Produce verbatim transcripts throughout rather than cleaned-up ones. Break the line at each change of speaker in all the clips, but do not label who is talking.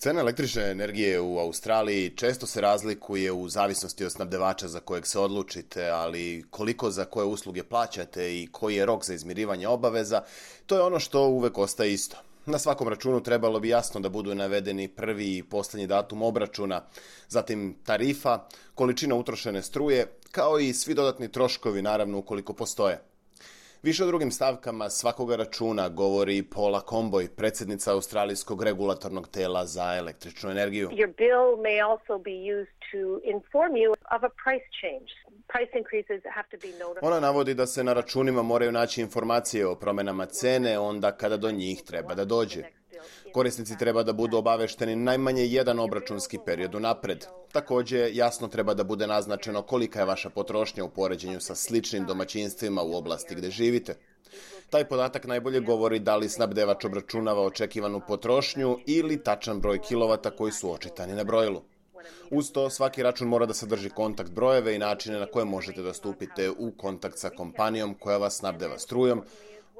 Cena električne energije u Australiji često se razlikuje u zavisnosti od snabdevača za kojeg se odlučite, ali koliko za koje usluge plaćate i koji je rok za izmirivanje obaveza, to je ono što uvek ostaje isto. Na svakom računu trebalo bi jasno da budu navedeni prvi i posljednji datum obračuna, zatim tarifa, količina utrošene struje, kao i svi dodatni troškovi, naravno ukoliko postoje. Više o drugim stavkama svakoga računa govori Paula Comboy, predsjednica Australijskog regulatornog tela za električnu energiju.
Your bill may also be used to inform you of a price change. Price increases have to be notified.
Ona navodi da se na računima moraju naći informacije o promjenama cene onda kada do njih treba da dođe. Korisnici treba da budu obavešteni najmanje jedan obračunski period unapred. Također, jasno treba da bude naznačeno kolika je vaša potrošnja u poređenju sa sličnim domaćinstvima u oblasti gdje živite. Taj podatak najbolje govori da li snabdevač obračunava očekivanu potrošnju ili tačan broj kilovata koji su očitani na brojilu. Uz to, svaki račun mora da sadrži kontakt brojeve i načine na koje možete da stupite u kontakt sa kompanijom koja vas snabdeva strujom,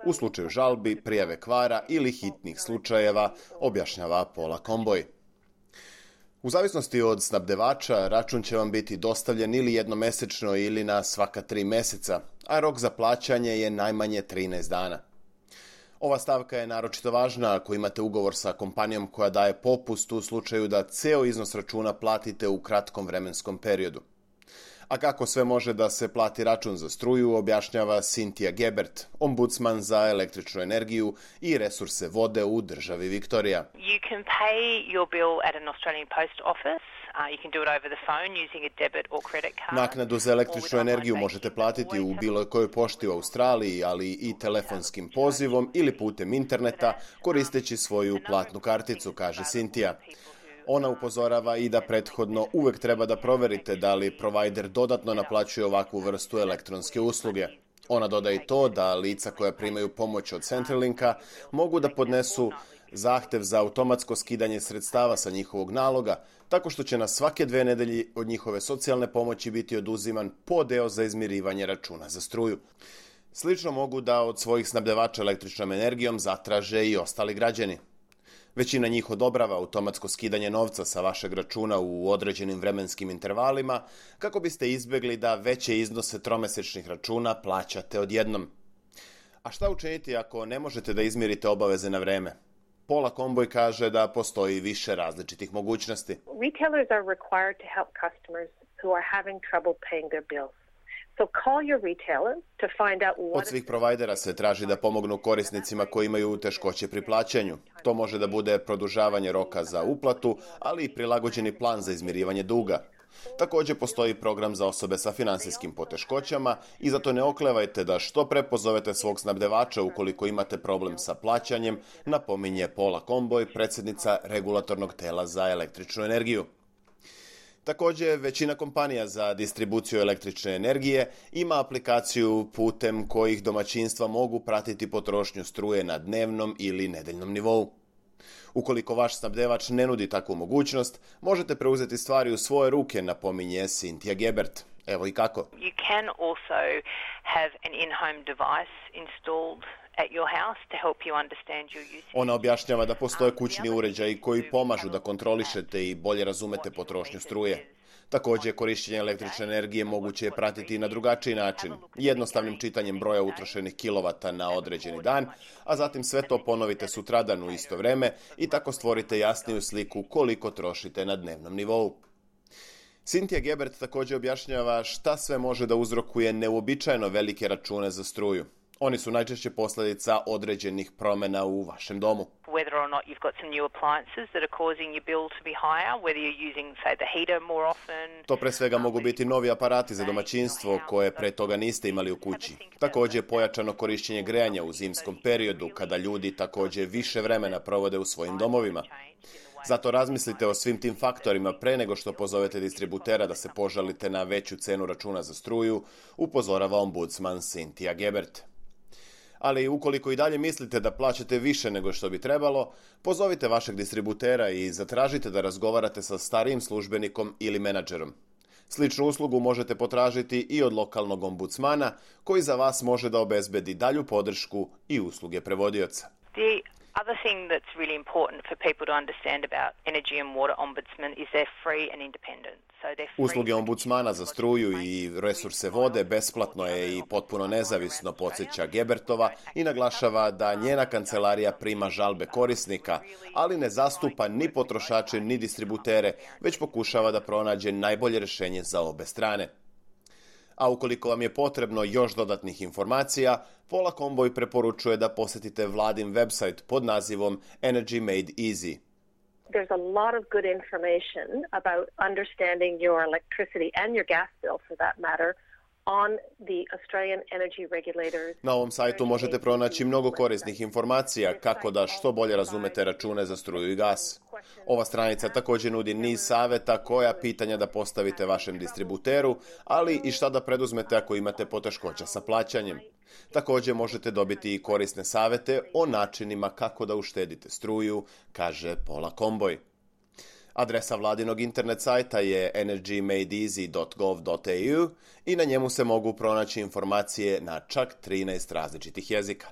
u slučaju žalbi, prijave kvara ili hitnih slučajeva, objašnjava Paula Comboy. U zavisnosti od snabdevača, račun će vam biti dostavljen ili jednomesečno ili na svaka tri meseca, a rok za plaćanje je najmanje trinaest dana. Ova stavka je naročito važna ako imate ugovor sa kompanijom koja daje popust u slučaju da ceo iznos računa platite u kratkom vremenskom periodu. A kako sve može da se plati račun za struju, objašnjava Cynthia Gebert, ombudsman za električnu energiju i resurse vode u državi Viktorija.
You can pay your bill at an Australian Post Office. Uh, you can do it over the phone using a debit or credit card.
Naknadu za električnu energiju možete platiti u bilo kojoj pošti u Australiji, ali i telefonskim pozivom ili putem interneta koristeći svoju platnu karticu, kaže Cynthia. Ona upozorava i da prethodno uvek treba da proverite da li provajder dodatno naplaćuje ovakvu vrstu elektronske usluge. Ona dodaje i to da lica koja primaju pomoć od Centrelinka mogu da podnesu zahtev za automatsko skidanje sredstava sa njihovog naloga, tako što će na svake dve nedelje od njihove socijalne pomoći biti oduziman po deo za izmirivanje računa za struju. Slično mogu da od svojih snabdevača električnom energijom zatraže i ostali građani. Većina njih odobrava automatsko skidanje novca sa vašeg računa u određenim vremenskim intervalima kako biste izbjegli da veće iznose tromesečnih računa plaćate odjednom. A šta učiniti ako ne možete da izmirite obaveze na vreme? Paula Comboy kaže da postoji više različitih mogućnosti.
Retailers are required to help customers who are having trouble paying their bills. So call your retailer to find out what...
Od svih provajdera se traži da pomognu korisnicima koji imaju teškoće pri plaćanju. To može da bude produžavanje roka za uplatu, ali i prilagođeni plan za izmirivanje duga. Također postoji program za osobe sa finansijskim poteškoćama i zato ne oklevajte da što pre pozovete svog snabdevača ukoliko imate problem sa plaćanjem, napominje Paula Comboy, predsjednica regulatornog tela za električnu energiju. Također, većina kompanija za distribuciju električne energije ima aplikaciju putem kojih domaćinstva mogu pratiti potrošnju struje na dnevnom ili nedeljnom nivou. Ukoliko vaš snabdevač ne nudi takvu mogućnost, možete preuzeti stvari u svoje ruke, napominje Cynthia Gebert. Evo i kako.
You can also have an in-home device installed at your house to help you understand your usage.
Ona objašnjava da postoje kućni uređaji koji pomažu da kontrolišete i bolje razumete potrošnju struje. Također, korištenje električne energije moguće je pratiti na drugačiji način, jednostavnim čitanjem broja utrošenih kilovata na određeni dan, a zatim sve to ponovite sutradan u isto vreme i tako stvorite jasniju sliku koliko trošite na dnevnom nivou. Cynthia Gebert također objašnjava šta sve može da uzrokuje neuobičajeno velike račune za struju. Oni su najčešće posljedica određenih promjena u vašem domu.
Whether or not you've got some new appliances that are causing your bill to be higher, whether you're using, say, the heater more often.
To pre svega mogu biti novi aparati za domaćinstvo koje pre toga niste imali u kući. Također pojačano korištenje grejanja u zimskom periodu kada ljudi također više vremena provode u svojim domovima. Zato razmislite o svim tim faktorima pre nego što pozovete distributera da se požalite na veću cenu računa za struju, upozorava ombudsman Cynthia Gebert. Ali ukoliko i dalje mislite da plaćate više nego što bi trebalo, pozovite vašeg distributera i zatražite da razgovarate sa starijim službenikom ili menadžerom. Sličnu uslugu možete potražiti i od lokalnog ombudsmana, koji za vas može da obezbedi dalju podršku i usluge prevodioca.
Other thing that's really important for people to understand about Energy and Water Ombudsman is they're free and independent. So they're free.
Usluge ombudsmana za struju i resurse vode besplatno je i potpuno nezavisno, podsjeća Gebertova i naglašava da njena kancelarija prima žalbe korisnika, ali ne zastupa ni potrošače ni distributere, već pokušava da pronađe najbolje rješenje za obe strane. A ukoliko vam je potrebno još dodatnih informacija, Paula Comboy preporučuje da posjetite vladin website pod nazivom Energy Made Easy.
There's a lot of good information about understanding your electricity and your gas bill, for that matter, on the Australian Energy Regulators.
Na ovom sajtu možete pronaći mnogo korisnih informacija kako da što bolje razumete račune za struju i gas. Ova stranica također nudi niz savjeta koja pitanja da postavite vašem distributeru, ali i šta da preduzmete ako imate poteškoća sa plaćanjem. Također možete dobiti i korisne savjete o načinima kako da uštedite struju, kaže Paula Comboy. Adresa vladinog internet sajta je energy made easy dot gov dot a u i na njemu se mogu pronaći informacije na čak trinaest različitih jezika.